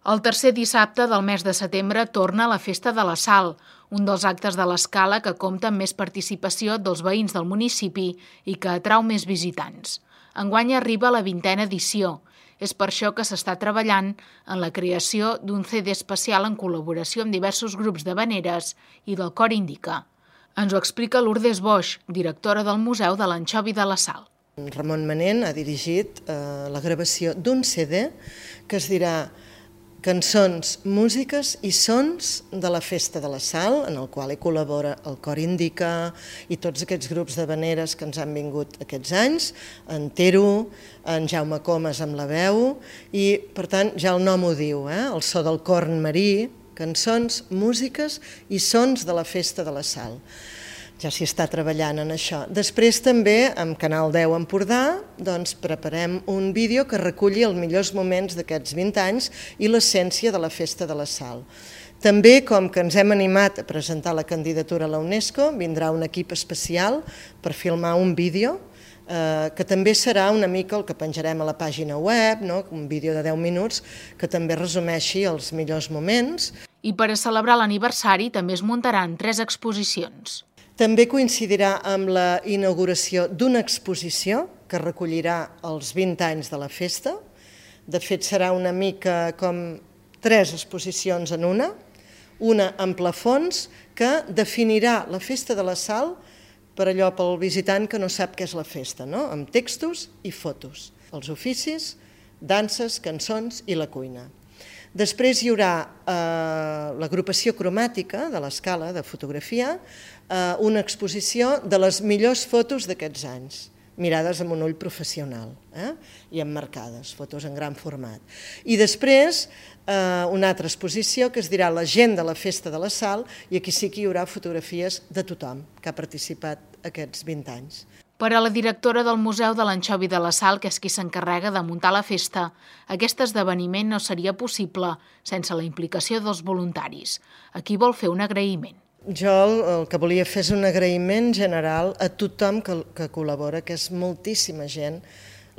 El tercer dissabte del mes de setembre torna la Festa de la Sal, un dels actes de l'Escala que compta amb més participació dels veïns del municipi i que atrau més visitants. Enguany arriba la 20a edició. És per això que s'està treballant en la creació d'un CD especial en col·laboració amb diversos grups d'havaneres i del Cor Indica. Ens ho explica Lourdes Boix, directora del Museu de l'Anxovi de la Sal. Ramon Manent ha dirigit la gravació d'un CD que es dirà Cançons, músiques i sons de la Festa de la Sal, en el qual hi col·labora el Cor Indica i tots aquests grups d'havaneres que ens han vingut aquests anys, en Tero, en Jaume Comas amb la veu, i per tant ja el nom ho diu, el so del corn marí, cançons, músiques i sons de la Festa de la Sal. Ja s'hi està treballant en això. Després també, amb Canal 10 Empordà, preparem un vídeo que reculli els millors moments d'aquests 20 anys i l'essència de la Festa de la Sal. També, com que ens hem animat a presentar la candidatura a la UNESCO, vindrà un equip especial per filmar un vídeo, que també serà una mica el que penjarem a la pàgina web, un vídeo de 10 minuts que també resumeixi els millors moments. I per a celebrar l'aniversari també es muntaran 3 exposicions. També coincidirà amb la inauguració d'una exposició que recollirà els 20 anys de la festa. De fet, serà una mica com 3 exposicions en una amb plafons que definirà la Festa de la Sal per allò pel visitant que no sap què és la festa, amb textos i fotos, els oficis, danses, cançons i la cuina. Després hi haurà l'agrupació cromàtica de l'Escala de fotografia, una exposició de les millors fotos d'aquests anys, mirades amb un ull professional i emmarcades, fotos en gran format. I després una altra exposició que es dirà La gent de la Festa de la Sal, i aquí sí que hi haurà fotografies de tothom que ha participat aquests 20 anys. Per a la directora del Museu de l'Anxovi de la Sal, que és qui s'encarrega de muntar la festa, aquest esdeveniment no seria possible sense la implicació dels voluntaris. Aquí vol fer un agraïment. Jo el que volia fer és un agraïment general a tothom que col·labora, que és moltíssima gent,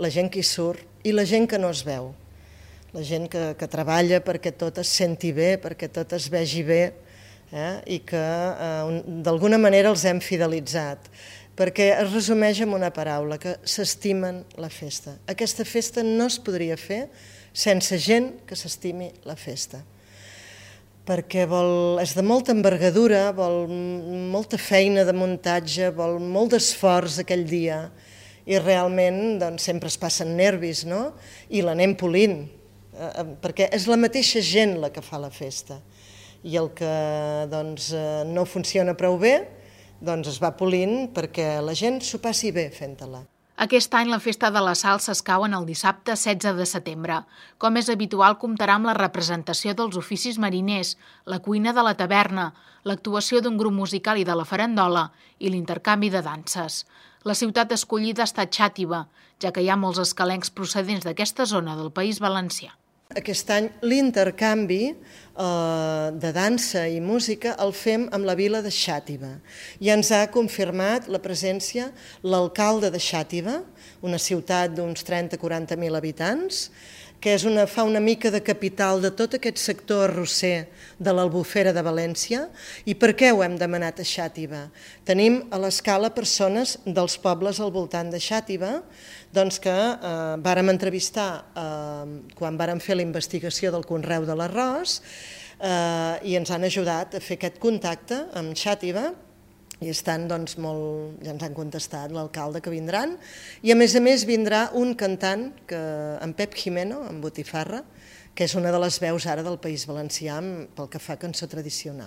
la gent que hi surt i la gent que no es veu, la gent que treballa perquè tot es senti bé, perquè tot es vegi bé i que d'alguna manera els hem fidelitzat, perquè es resumeix en una paraula, que s'estimen la festa. Aquesta festa no es podria fer sense gent que s'estimi la festa, perquè és de molta envergadura, vol molta feina de muntatge, vol molt d'esforç aquell dia, i realment sempre es passen nervis, i l'anem polint, perquè és la mateixa gent la que fa la festa, i el que no funciona prou bé, es va polint perquè la gent s'ho passi bé fent-la. Aquest any la Festa de la Sal s'escau el dissabte 16 de setembre. Com és habitual, comptarà amb la representació dels oficis mariners, la cuina de la taverna, l'actuació d'un grup musical i de la farandola i l'intercanvi de danses. La ciutat escollida ha estat Xàtiva, ja que hi ha molts escalencs procedents d'aquesta zona del País Valencià. Aquest any l'intercanvi de dansa i música el fem amb la vila de Xàtiva. I ens ha confirmat la presència l'alcalde de Xàtiva, una ciutat d'uns 30-40.000 habitants, que fa una mica de capital de tot aquest sector arrosser de l'Albufera de València. I per què ho hem demanat a Xàtiva? Tenim a l'Escala persones dels pobles al voltant de Xàtiva que vàrem entrevistar quan vàrem fer la investigació del conreu de l'arròs i ens han ajudat a fer aquest contacte amb Xàtiva. I ja ens han contestat l'alcalde que vindran, i a més vindrà un cantant, en Pep Jimeno, en botifarra, que és una de les veus ara del País Valencià pel que fa a cançó tradicional.